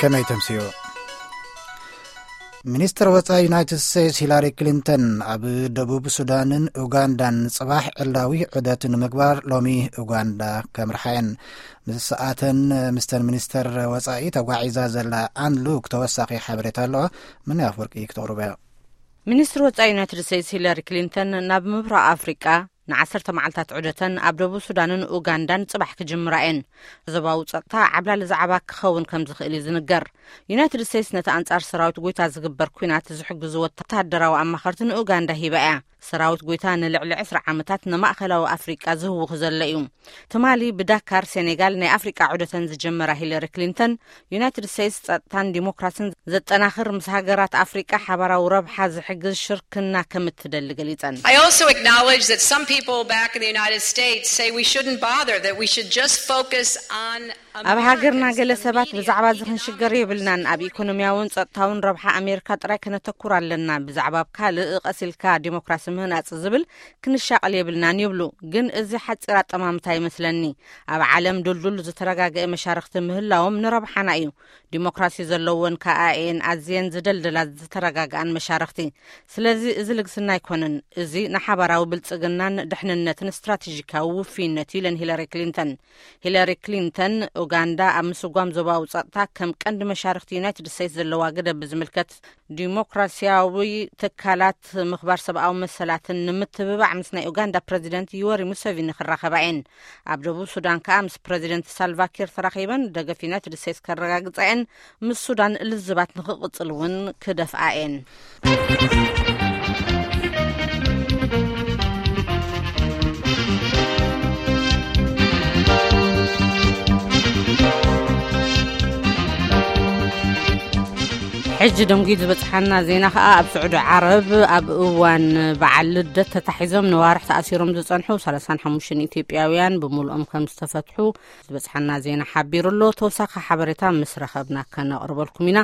ከመይ ተምስዮ? ሚኒስትር ወጻኢ ዩናይትድ ስቴትስ ሂላሪ ክሊንተን ኣብ ደቡብ ሱዳንን ኡጋንዳን ጽባሕ ዕላዊ ዑደት ንምግባር ሎሚ ኡጋንዳ ከምርሓ እየን። ምስ ሰኣተን ምስተን ሚኒስተር ወጻኢ ተጓዒዛ ዘላ ኣን ሉክ ተወሳኺ ሓበሬታ ኣለዋ። ምንያ ኣፍወርቂ ክተቕርቦ እያ። ሚኒስትር ወጻኢ ዩናይትድ ስቴትስ ሂለሪ ክሊንተን ናብ ምብራቕ ኣፍሪቃ ንዓሰርተ መዓልታት ዑደተን ኣብ ደቡብ ሱዳንን ኡጋንዳን ጽባሕ ክጅምራ እየን። ዞባዊ ጸጥታ ዓብላሊ ዛዕባ ክኸውን ከም ዝኽእል እዩ ዝንገር። ዩናይትድ ስቴትስ ነቲ ኣንጻር ሰራዊት ጎይታ ዝግበር ኲናት ዝሕግዙ ወታደራዊ ኣማኸርቲ ንኡጋንዳ ሂባ እያ። ሰራዊት ጎይታ ንልዕሊ ዕስራ ዓመታት ንማእከላዊ ኣፍሪቃ ዝህውኽ ዘሎ እዩ። ትማሊ ብዳካር ሴኔጋል ናይ ኣፍሪቃ ዑደተን ዝጀመራ ሂለሪ ክሊንተን፣ ዩናይትድ ስቴትስ ጸጥታን ዲሞክራሲን ዘጠናኽር፣ ምስ ሃገራት ኣፍሪቃ ሓባራዊ ረብሓ ዝሕግዝ ሽርክና ከም እትደሊ ገሊጸን። I also acknowledge that some people back in the United States say we shouldn't bother, that we should just focus on ኣብ ሃገርና ገለ ሰባት ብዛዕባ እዚ ክንሽገር የብልናን፣ ኣብ ኢኮኖሚያውን ጸጥታውን ረብሓ ኣሜሪካ ጥራይ ከነተኩር ኣለና፣ ብዛዕባ ኣብ ካልእ ቀስ ኢልካ ዲሞክራሲ ምህናጽ ዝብል ክንሻቐል የብልናን ይብሉ። ግን እዚ ሓጺር ኣጠማምታ ይመስለኒ። ኣብ ዓለም ድልዱል ዝተረጋገአ መሻርኽቲ ምህላዎም ንረብሓና እዩ። ዲሞክራሲ ዘለወን ከኣ እየን ኣዝየን ዝደልደላ ዝተረጋግኣን መሻርኽቲ። ስለዚ እዚ ልግስና ኣይኮነን። እዚ ንሓባራዊ ብልጽግናን ድሕንነትን ስትራቴጂካዊ ውፍይነት እዩ ኢለን ሂለሪ ክሊንተን። ሂለሪ ክሊንተን፣ ኡጋንዳ ኣብ ምስጓም ዞባዊ ጸጥታ ከም ቀንዲ መሻርኽቲ ዩናይትድ ስቴትስ ዘለዋ ግደ ብዝምልከት፣ ዲሞክራሲያዊ ትካላት፣ ምኽባር ሰብኣዊ መሰላትን ንምትብባዕ ምስ ናይ ኡጋንዳ ፕረዚደንት ዩወሪ ሙሰቪኒ ክራኸባ እየን። ኣብ ደቡብ ሱዳን ከኣ ምስ ፕረዚደንት ሳልቫኪር ተራኺበን ደገፍ ዩናይትድ ስቴትስ ከረጋግጻ እየን። ምስ ሱዳን ልዝባት ንኽቕጽል እውን ክደፍኣ እየን። ሕጂ ደንጉዩ ዝበጽሓና ዜና ከኣ፣ ኣብ ስዑዲ ዓረብ ኣብ እዋን በዓል ልደት ተታሒዞም ነዋርሕ ተኣሲሮም ዝጸንሑ ሰላሳን ሓሙሽተን ኢትዮጵያውያን ብምሉኦም ከም ዝተፈትሑ ዝበጽሓና ዜና ሓቢሩ ኣሎ። ተወሳኺ ሓበሬታ ምስ ረኸብና ከነቕርበልኩም ኢና።